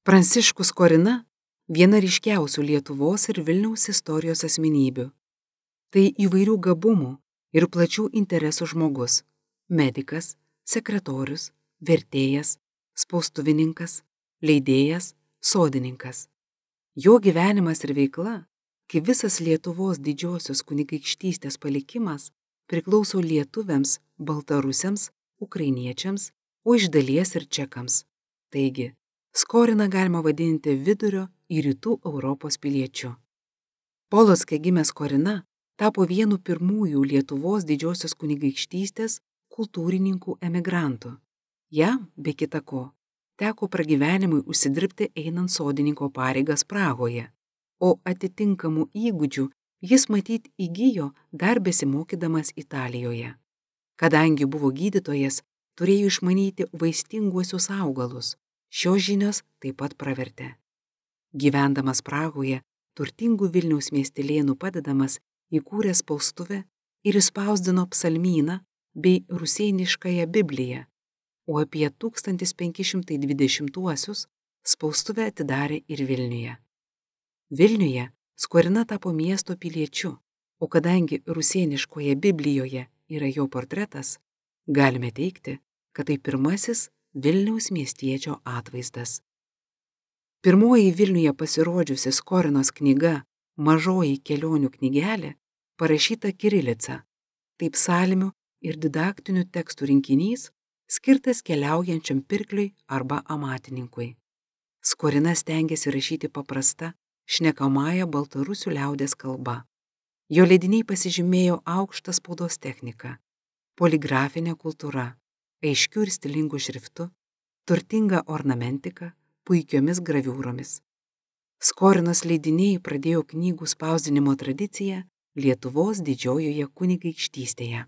Pranciškus Skorina – viena ryškiausių Lietuvos ir Vilniaus istorijos asmenybių. Tai įvairių gabumų ir plačių interesų žmogus – medikas, sekretorius, vertėjas, spaustuvininkas, leidėjas, sodininkas. Jo gyvenimas ir veikla, kaip visas Lietuvos didžiosios kunigaikštystės palikimas, priklauso lietuviams, baltarusiams, ukrainiečiams, o iš dalies ir čekams. Taigi, Skoriną galima vadinti vidurio ir rytų Europos piliečiu. Polocke gimęs Skorina tapo vienu pirmųjų Lietuvos didžiosios kunigaikštystės kultūrininkų emigrantų. Jam, be kita ko, teko pragyvenimui užsidirbti einant sodininko pareigas Prahoje, o atitinkamų įgūdžių jis matyt įgijo dar besimokydamas Italijoje. Kadangi buvo gydytojas, turėjo išmanyti vaistinguosius augalus. Šios žinios taip pat pravertė. Gyvendamas Prahoje, turtingų Vilniaus miestelėnų padedamas, įkūrė spaustuvę ir išspausdino psalmyną bei rusėniškąją Bibliją, o apie 1520-uosius spaustuvę atidarė ir Vilniuje. Vilniuje Skorina tapo miesto piliečiu, o kadangi rusėniškoje Biblijoje yra jo portretas, galime teigti, kad tai pirmasis Vilniaus miestiečio atvaizdas. Pirmoji Vilniuje pasirodžiusi Skorinos knyga Mažoji kelionių knygelė parašyta kirilica, tai psalmių ir didaktinių tekstų rinkinys skirtas keliaujančiam pirkliui arba amatininkui. Skorina stengiasi rašyti paprasta, šnekamąja baltarusių liaudies kalba. Jo leidiniai pasižymėjo aukštą spaudos techniką, poligrafinę kultūrą, aiškių ir stilingų šriftų, turtingą ornamentiką, puikiomis graviūromis. Skorinos leidiniai pradėjo knygų spausdinimo tradiciją Lietuvos didžiojoje kunigaikštystėje.